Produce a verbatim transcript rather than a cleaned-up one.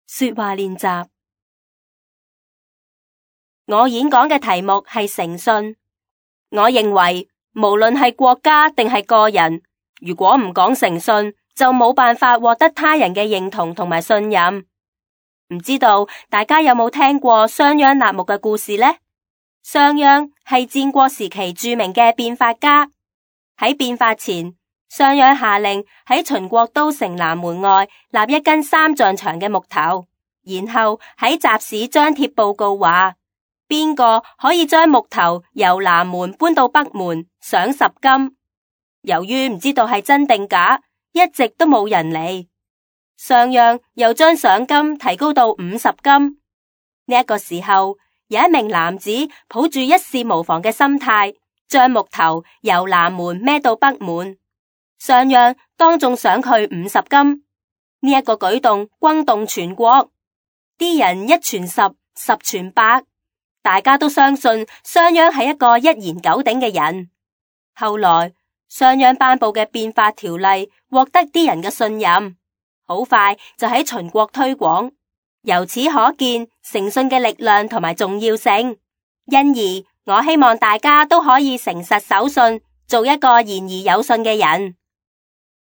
說話練習。我演講嘅題目係誠信。我認為無論係國家定係個人，如果唔講誠信，就冇辦法獲得他人嘅認同同埋信任。唔知道大家有冇聽過商鞅納目嘅故事呢？商鞅係戰國時期著名嘅變法家。喺變法前，商鞅下令喺秦國都城南門外立一根三丈長嘅木頭，然後喺集市張貼報告話，邊個可以將木頭由南門搬到北門，賞十金。由於唔知道係真定假，一直都冇人嚟。商鞅又將賞金提高到五十金。呢一個時候，有一名男子抱住一試無妨嘅心態，將木頭由南門孭到北門。商鞅當眾賞佢五十金。呢一個舉動轟動全國，啲人一傳十，十傳百。大家都相信商鞅係一個一言九鼎嘅人。後來商鞅頒布嘅變法條例獲得啲人嘅信任，好快就喺秦國推廣。由此可見誠信嘅力量同埋重要性。因而我希望大家都可以誠實守信，做一個言而有信嘅人。